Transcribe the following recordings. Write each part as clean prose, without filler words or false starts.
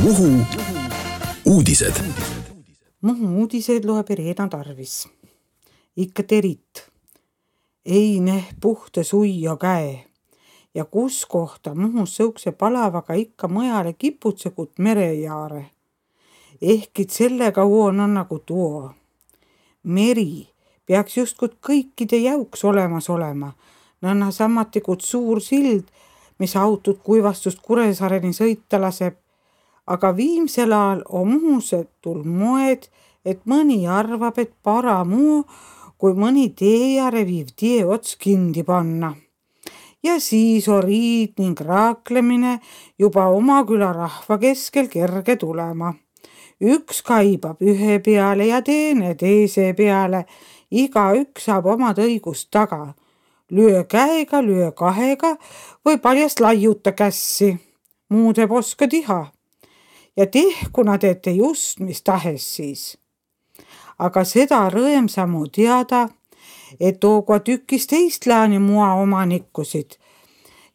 Muhu uudised. Muhu uudised loeb Irena Tarvis. Ikka terit. Ei neh puhta suia käe. Ja kus kohta Muhus sõukse palavaga ikka mõjale kiputsekut merejaare. Ehkid sellega uon on nagu tuo. Meri peaks justkut kõikide jauks olemas olema. Nõnna sammatikut suur sild, mis autud Kuivastust Kuressaareni sõita laseb. Aga viimsel ajal on Muhusetul moed, et mõni arvab, et paramu, kui mõni teejare viiv tie ots kindi panna. Ja siis on riid ning raaklemine juba oma küla rahva keskel kerge tulema. Üks kaibab ühe peale ja teine teise peale. Igaüks saab omad õigust taga. Lyö käega, lyö kahega või paljast laiuta kässi. Muud ei oska tiha. Ja tehkuna teete just, mis tahes siis. Aga seda rõõmsamu teada, et tooga tükis teist lääni mua omanikkusid.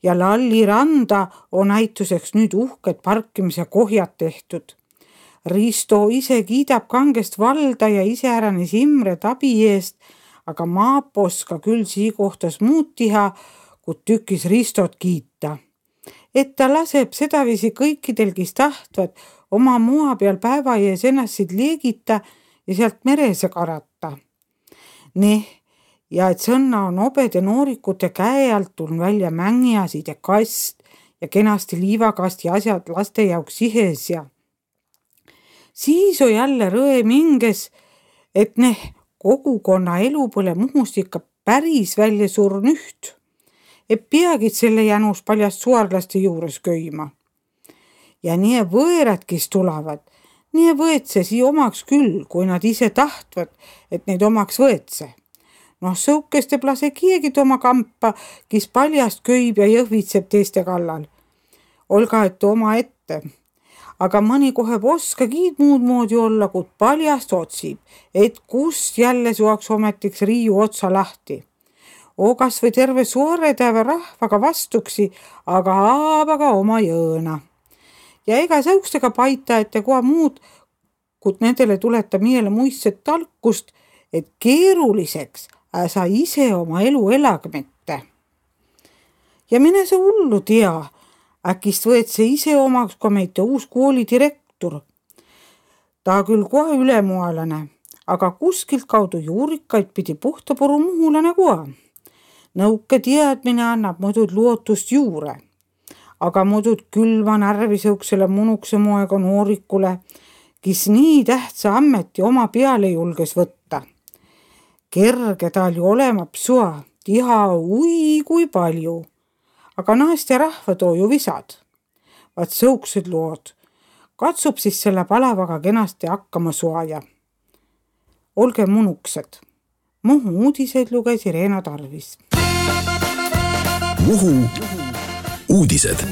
Ja Lalli randa on näituseks nüüd uhked parkimise kohjad tehtud. Risto ise kiidab kangest valda ja iseäranis Imret abi eest, aga Maap oska küll sii kohtas muud tiha, kui tükis Ristot kiita. Et ta laseb sedavisi kõikidel, kes tahtvad oma mua peal päeva ees ennast liegita ja sealt merese karata. Ja et sõnna on obede noorikute käe alt tulnud välja mängiasid ja kast ja kenasti liivakast ja asjad laste jaoks sihes ja siis on jälle rõõm hinges, et kogukonna elu pole Muhust ikka päris välja surn üht. Et peagid selle jänus paljast suarlaste juures köima. Ja nii võõrad, kes tulevad, nii võetse sii omaks küll, kui nad ise tahtvad, et neid omaks võetse. Sõukeste plase kiegid oma kampa, kes paljast köib ja jõhvitseb teiste kallal. Olga, et oma ette. Aga mõni kohe oska kiid muud moodi olla, kui paljast otsib, et kust jälle suaks ometiks riiu otsa lahti. Kas või terve suoretäve rahvaga vastuksi, aga aabaga oma jõõna. Ja ega sõukstega paita, et koha muud, kui nendele tuleta miele muistset talkust, et keeruliseks sa ise oma elu elagmette. Ja mine see hullu tea, äkist võet see ise omaks, kui meite uus koolidirektor. Ta küll kohe ülemualane, aga kuskilt kaudu juurikaid pidi puhtapuru muhulane koha. Nõuke teadmine annab muidud lootust juure, aga muidud külva närvi sõuksele munukse moega noorikule, kes nii tähtsa ammeti oma peale julges võtta. Kerge tal ju olema psua, tiha ui kui palju, aga naiste rahva too ju visad. Vaat sõuksed lood, katsub siis selle palavaga kenasti hakkama suaja. Olge munuksed. Muhu uudised luges Irena Tarvis. Muhu uudised.